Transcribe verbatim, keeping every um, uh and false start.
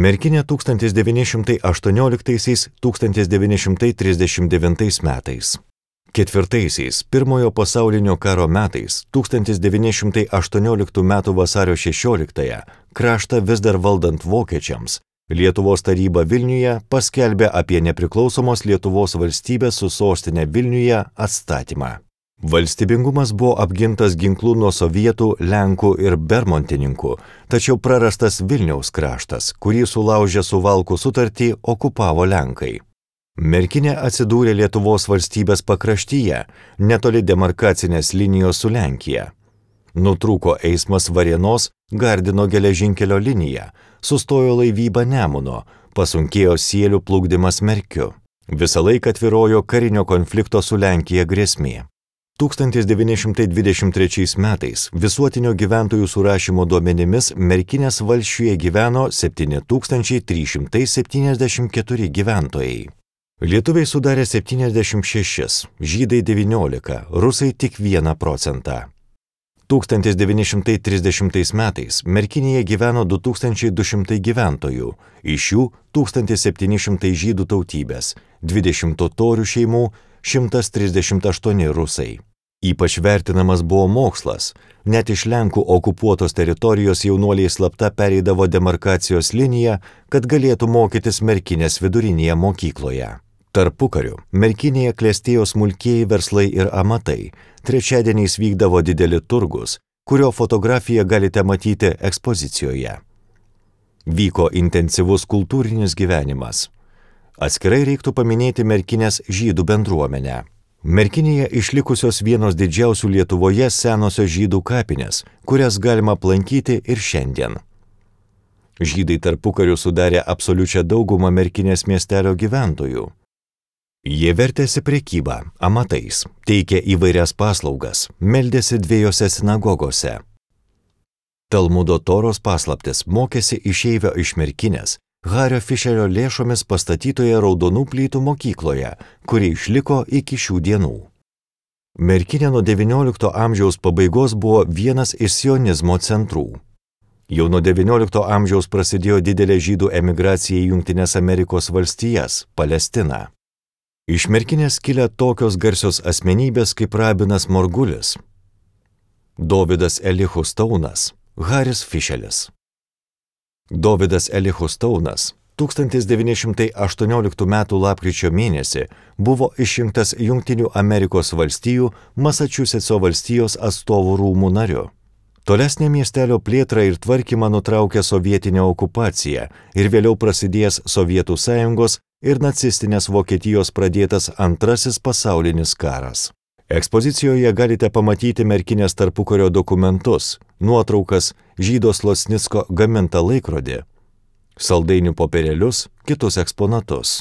Merkinė tūkstantis devyni šimtai aštuonioliktaisiais - tūkstantis devyni šimtai trisdešimt devintais metais. Ketvirtaisiais Pirmojo pasaulinio karo metais tūkstantis devyni šimtai aštuonioliktų metų vasario šešioliktąją kraštą vis dar valdant vokiečiams, Lietuvos taryba Vilniuje paskelbė apie nepriklausomos Lietuvos valstybės su sostinė Vilniuje atstatymą. Valstybingumas buvo apgintas ginklų nuo sovietų, lenkų ir bermontininkų, tačiau prarastas Vilniaus kraštas, kurį sulaužę Suvalkų sutartį okupavo lenkai. Merkinė atsidūrė Lietuvos valstybės pakraštyje, netoli demarkacinės linijos su Lenkija. Nutrūko eismas Varėnos Gardino geležinkelio linija, sustojo laivyba Nemuno, pasunkėjo sielių plukdymas Merkiu. Visą laiką tvyrojo karinio konflikto su Lenkija grėsmė. tūkstantis devyni šimtai dvidešimt trečiais metais visuotinio gyventojų surašymo duomenimis Merkinės valsčiuje gyveno septyni tūkstančiai trys šimtai septyniasdešimt keturi gyventojai. Lietuviai sudarė septyniasdešimt šešis, žydai devyniolika, rusai tik vieną procentą. tūkstantis devyni šimtai trisdešimtais metais Merkinėje gyveno du tūkstančiai du šimtai gyventojų, iš jų tūkstantis septyni šimtai žydų tautybės, dvidešimt totorių šeimų, šimtas trisdešimt aštuoni rusai. Ypač vertinamas buvo mokslas, net iš Lenkų okupuotos teritorijos jaunuoliai slapta pereidavo demarkacijos liniją, kad galėtų mokytis Merkinės vidurinėje mokykloje. Tarpukariu Merkinėje klestėjo smulkieji verslai ir amatai, trečiadieniais vykdavo dideli turgus, kurio fotografiją galite matyti ekspozicijoje. Vyko intensyvus kultūrinis gyvenimas. Atskirai reiktų paminėti Merkinės žydų bendruomenę. Merkinėje išlikusios vienos didžiausių Lietuvoje senosios žydų kapinės, kurias galima aplankyti ir šiandien. Žydai tarpukariu sudarė absoliučią daugumą Merkinės miestelio gyventojų. Jie vertėsi prekybą, amatais, teikė įvairias paslaugas, meldėsi dviejose sinagogose. Talmudo Toros paslaptis mokėsi išeivio iš Merkinės, Hario Fišerio lėšomis pastatytoje raudonų plytų mokykloje, kuri išliko iki šių dienų. Merkinė nuo devyniolikto amžiaus pabaigos buvo vienas iš sionizmo centrų. Jau nuo devyniolikto amžiaus prasidėjo didelė žydų emigracija į Jungtines Amerikos valstijas, Palestiną. Iš Merkinės kilę tokios garsios asmenybės kaip Rabinas Morgulis, Dovydas Elihu Staunas, Haris Fišelis. Dovydas Elihu Staunas tūkstantis devyni šimtai aštuonioliktų metų lapkričio mėnesį buvo išrinktas Jungtinių Amerikos valstijų Masačusetso valstijos atstovų rūmų nariu. Tolesnė miestelio plėtrą ir tvarkymą nutraukė sovietinė okupacija ir vėliau prasidėjęs Sovietų sąjungos ir nacistinės Vokietijos pradėtas Antrasis pasaulinis karas. Ekspozicijoje galite pamatyti Merkinės tarpukario dokumentus, nuotraukas, Žydo Slocnicko gamintą laikrodį, saldainių popierėlius, kitus eksponatus.